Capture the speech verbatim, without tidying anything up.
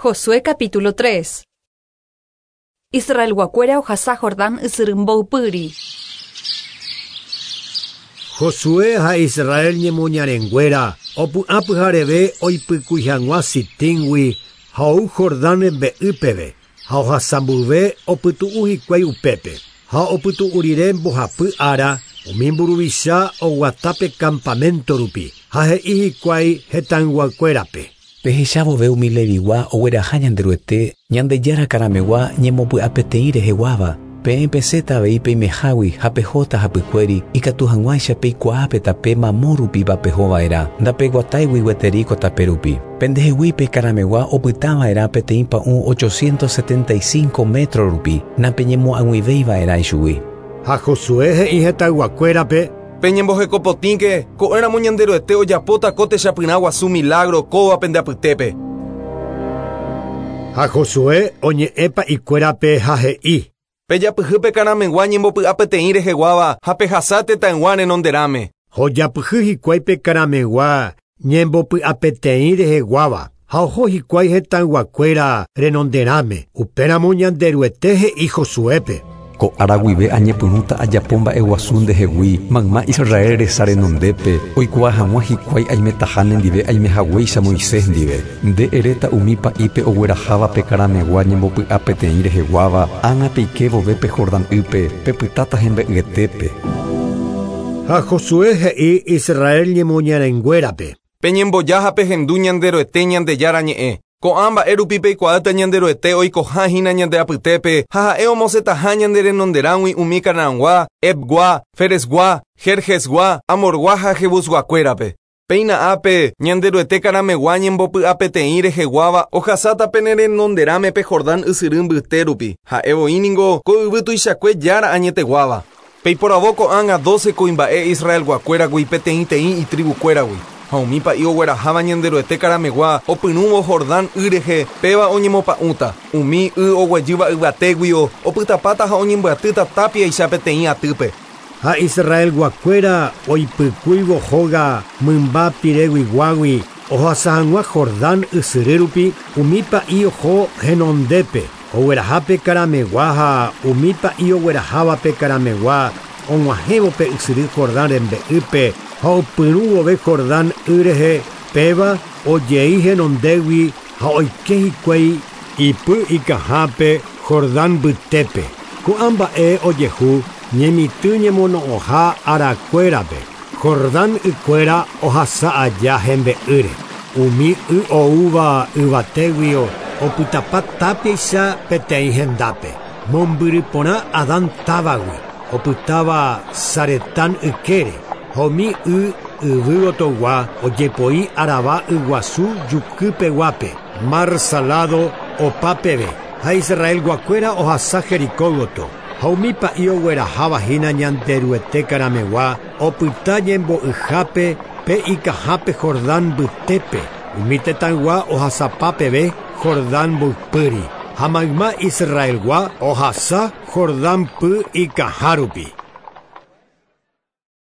Josué capítulo tres. Israelguakuéra ohasa Jordán ysyry mboypýri. Josué ha Israel ñemoñarenguéra opu'ã pyhareve oipykúi hag̃ua Sitíngui ha ou Jordán rembe'ýpeve ha ohasambyve opytu'u hikuái upépe ha opytu'u rire mbohapy ára umi mburuvicha oguatápe campamento rupi ha he'i hikuái hetãyguakuérape. Pehechavove umi Levigua ogueraha Ñanderuete Ñandejára karamegua ñemopy'apeteĩ reheguáva peẽ pesẽta avei peimehágui ha pehóta hapykuéri ikatu hag̃uáicha peikuaápe tape mamo rupiva pehova'erã ndapeguatáigui gueteri ko tape rupi. Pendehegui pe karamegua opytava'erã peteĩ pa'ũ ochocientos setenta y cinco metro rupi napeñemo'ag̃uivéiva'erã ichugui. Ha Josué he'i hetãyguakuérape Peñembohekopotĩke ko'ẽramo Ñanderuete ojapóta ko techapyrã guasu milagro kóva pende apytépe. Ha Josué oñe'ẽpa ikuérape ha he'i Pejapyhýpe karamegua ñembopy'apeteĩ reheguáva ha pehasa tetãygua renonderãme. Hojapyhy hikuái pe karamegua ñembopy'apeteĩ reheguáva ha oho hikuái hetãyguakuéra renonderãme. Upéramo Ñanderuete he'i Josuépe. Ko ára guive añepyrũta ajapo mba'eguasu ndehegui mayma Israel resa renondépe oikuaa hag̃ua hikuái aimetaha nendive aimehaguéicha Moisés ndive. Nde eréta umi pa'ípe ogueraháva pe karamegua ñembopy'apeteĩ reheguáva ág̃a peike vove pe Jordán ýpe pepytáta hembe'yetépe. Ha Josué he'i Israel ñemoñarenguérape. Peñemboja ha pehendu Ñanderuete Ñandejára ñe'ẽ. Ko'ã mba'e rupi peikuaáta Ñanderuete oikoha hína ñande apytépe ha ha'e omosẽtaha ñande renonderãgui umi Canaangua, Hevgua, Ferezgua, Gergesgua, Amorgua ha Jebusguakuérape. Péina ápe Ñanderuete karamegua ñembopy'apeteĩ reheguáva ohasáta pene renonderãme pe Jordán ysyry mbyte rupi. Ha'e voíningo ko yvy tuichakue jára añeteguáva. Peiporavo ko'ág̃a doce kuimba'e Israelguakuéragui peteĩteĩ itribukuéragui. Ha umi pa'i ogueraháva Ñanderuete karamegua opyrũvo Jordán y rehe péva oñemopa'ũta. Umi y oguejýva yvatéguio opytapáta ha oñembyatýta tápiaicha peteĩ atýpe. Ha Israelguakuéra oipykúivo hóga mymba pireguiguágui ohasa hag̃ua Jordán ysyry rupi umi pa'i oho henondépe oguerahápe karamegua ha umi pa'i oguerahávape karamegua og̃uahẽvo pe ysyry Jordán rembe'ýpe ha opyrũvove Jordán y rehe péva ojei henondégui ha oike hikuái ipy ikahápe Jordán mbytépe. Ko'ã mba'e ojehu ñemitỹ ñemono'õha arakuérape. Jordán ykuéra ohasa aja hembe'ýre. Umi y oúva yvatéguio opytapa tápiaicha peteĩ hendápe. Mombyry porã Adán távagui opytáva Saretán ykére. Ha umi y yvýgotogua ojepoi Arabá yguasu jukýpeguápe, Mar Salado opápeve. Ha Israelguakuéra ohasa Jericó gotyo. Ha umi pa'i ogueraháva hína Ñanderuete karamegua opyta ñembo'yhápe pe ikahápe Jordán mbytépe. Umi tetãygua ohasapápeve Jordán mboypýri. Ha mayma Israelgua ohasa Jordán py ikaha rupi.